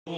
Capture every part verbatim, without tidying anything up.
Sot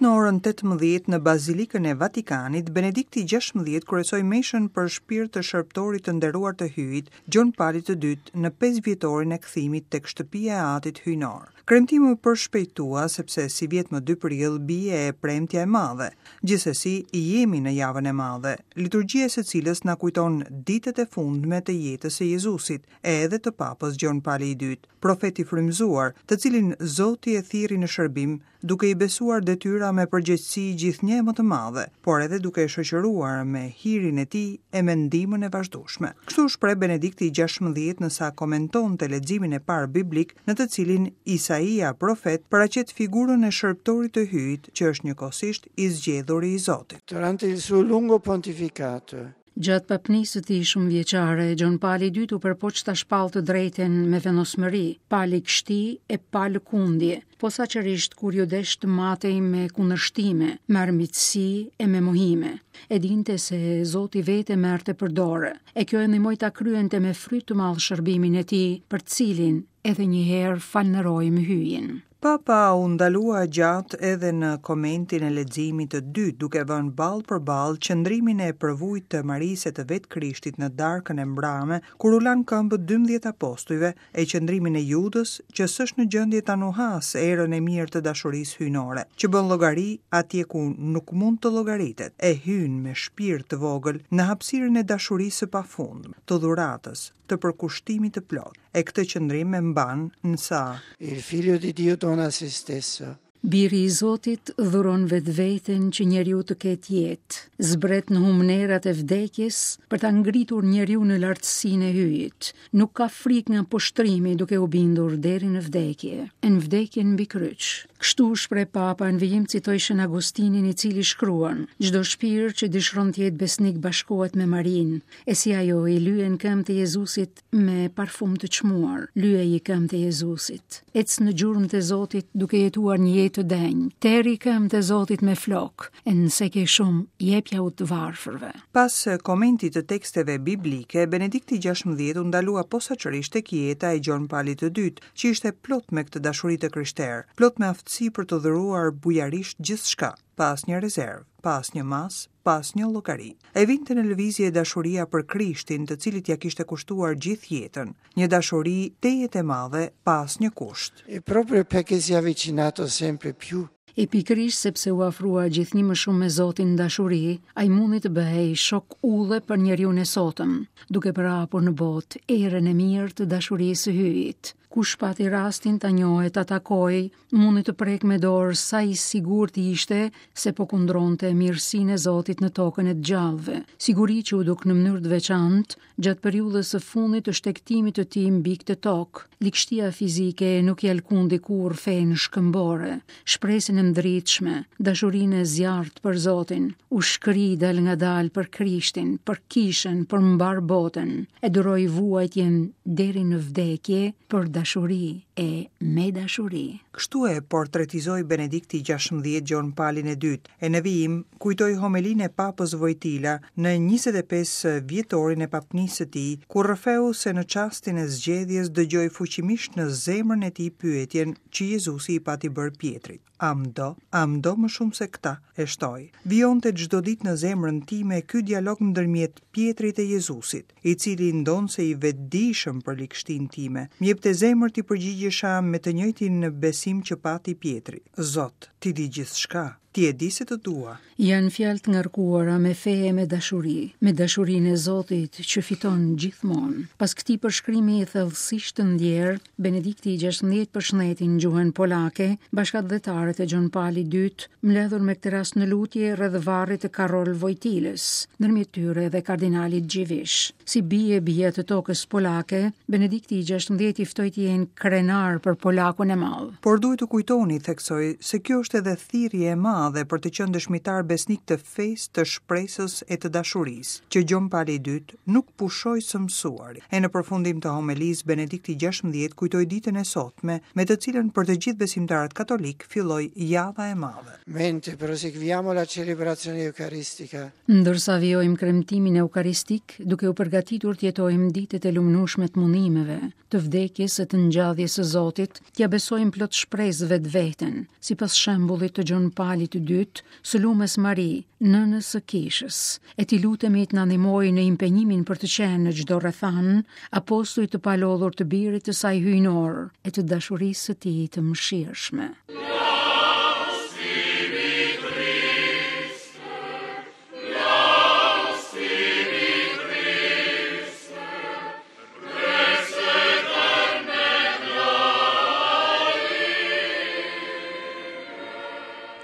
në orën tetëmbëdhjetë në Bazilikën e Vatikanit, Benedikti gjashtëmbëdhjetë kryesoi meshën për shpirt të shërbëtorit të nderuar të Hyjit, Gjon Palit të Dytë, në pesë vjetorin e kthimit tek shtëpia e Atit Hyjnor. Kremtimi u përshpejtua sepse si vjet më dy prill bie e premtja e madhe. Gjithsesi, jemi në javën e madhe, liturgjia e së cilës na kujton ditët e fundme të jetës së Jezusit, e edhe të Papës Gjon Pali i Dytë, profet i frymëzuar, të cilin Zoti e thirri në shërbim, duke i besuar detyra me përgjegjësi gjithnjë më të madhe, por edhe duke e shoqëruar me hirin e tij e me ndihmën e vazhdueshme. Kështu u shpreh Benedikti gjashtëmbëdhjetë nësa komentonte leximin e parë biblik, në të cilin Isaia profet paraqet figurën e shërbëtorit të Hyjit, që është njëkohësisht i zgjedhuri i Zotit. Durante il suo lungo pontificato, Gjatë papnisë së tij shumëvjeçare, Gjon Pali i Dytë u përpoq ta shpall të drejtën me vendosmëri, pa ligështi e pa lëkundje, posaçërisht kur ju desh të matej me kundërshtime, me armiqësi e me mohime. E dinte se Zoti vetë e merrte për dorë, e kjo e ndihmoi ta kryente me fryt të madh shërbimin e tij, për të cilin edhe një herë falënderojmë Hyjin. Papa u ndalua gjatë edhe në komentin e leximit të dytë, duke vënë ball për ball qëndrimin e përvujt të Marisë të vetë Krishtit në darkën e mbrame, kur u lan këmbët dymbëdhjetë apostujve, e qëndrimin e Judës, që s'është në gjendje ta nuhas erën e mirë të dashurisë hyjnore, që bën llogari atje ku nuk mund të llogaritet, e hyn me shpirt të vogël në hapësirën e dashurisë së pafundme, të dhuratës, të përkushtimit të plotë. E këtë qëndrim e mban nësa Il figlio di Dio dona se stesso. Biri i Zotit dhuron vetveten që njeriu të ketë jetë, zbret në humnerat e vdekjes për ta ngritur njeriu në lartësinë e Hyjit. Nuk ka frikë nga poshtrimi duke u bindur deri në vdekje, e në vdekjen mbi kryq. Kështu u shpreh Papa në vijim citoi Shën Agustinin i cili shkruan: Çdo shpirt që dëshiron të jetë besnik bashkohet me Marinë, e si ajo i lyen këmbët e Jezusit me parfum të çmuar, lyeji këmbët e Jezusit. Ec në gjurmët e Zotit duke jetuar një jetë të denjë, teri këmbët e Zotit me flok, e nëse ke shumë, jepja u të varfërve. Pas komentit të teksteve biblike, Benedikti gjashtëmbëdhjetë u ndalua posaçërisht tek jeta e Gjon Palit të Dytë, që ishte plot me këtë dashuri të krishterë, plot me aftësi për të dhuruar bujarisht gjithçka, pa asnjë rezervë, pa asnjë masë, pa asnjë llogari. E vinte në lëvizje dashuria për Krishtin, të cilit ja kishte kushtuar gjithë jetën, një dashuri tejet e madhe, pa asnjë kusht. E proprio perché si è avvicinato sempre più E pikërisht sepse u afrua gjithnjë më shumë me Zotin në dashuri, ai mundi të bëhej shok udhe për njeriun e sotëm, duke përhapur në botë erën e mirë të dashurisë së Hyjit. Kush pati rastin ta njohë e ta takojë, mundi të prek me dorë sa i sigurt ishte se po kundronte mirësinë e Zotit në tokën e të gjallëve. Siguri që u duk në mënyrë të veçantë gjatë periudhës së fundit të shtegtimit të tij mbi këtë tokë. Ligështia fizike nuk i alkundi kurrë fenë shkëmbore, shpresën e ndritshme, dashurinë e zjarrt për Zotin, u shkri dal nga dal për Krishtin, për kishën, për mbar botën, e duroi vuajtjen deri në vdekje për dashuri e me dashuri. Kështu e portretizoi Benedikti gjashtëmbëdhjetë Gjon Palin e Dytë, e në vijim kujtoi homelinë e Papës Vojtila në njëzet e pesë vjetorin e papnisë së tij, ku rrëfeu se në çastin e zgjedhjes dëgjoi fuqimisht në zemrën e tij pyetjen që Jezusi i pati bërë Pietrit: A më do? A më do më shumë se këta? E shtoi. Vijonte çdo ditë në zemrën time ky dialog ndërmjet Pietrit e Jezusit, i cili ndonse i vetëdijshëm për ligështinë time, më jepte zemër t'i përgjigjesha me të njëjtin besim që pati Pietri. Zot, ti di gjithçka, ti e di se të dua. Janë fjalë të ngarkuara me fe e me dashuri, me dashurinë e Zotit që fiton gjithmonë. Pas këtij përshkrimi thellësisht të ndjer, Benedikti i gjashtëmbëdhjetë përshëndeti në gjuhën polake bashkatdhetarët e Gjon Palit të Dytë, mbledhur me këtë rast në lutje rreth varrit të Karol Vojtilës, ndërmjet tyre edhe kardinalit Gjivish. Si bie bie të tokës polake, Benedikti i gjashtëmbëdhjetë i ftoi të jenë krenar për polakun e madh. Por duhet të kujtoni, theksoi, se kjo është edhe thirrje e madhe madhe për të qenë dëshmitar besnik të fesë, të shpresës e të dashurisë, që Gjon Pali i Dytë nuk pushoi së mësuari. E në përfundim të homelisë, Benedikti gjashtëmbëdhjetë kujtoi ditën e sotme, me të cilën për të gjithë besimtarët katolik filloi java e madhe. Mentre proseguiamo la celebrazione eucaristica, Ndërsa vijojmë kremtimin eukaristik, duke u përgatitur të jetojmë ditët e lumnueshme të mundimeve, të vdekjes e të ngjalljes së Zotit, t'ia besojmë plot shpresë vetveten, sipas shembullit të Gjon Palit të Dytë, së Lumes Mari, nënës së Kishës, e t'i lutemi të na ndihmojë në impenjimin për të qenë në çdo rrethan, apostuj të palodhur të birit të saj hyjnor e të dashurisë së tij të mëshirshme.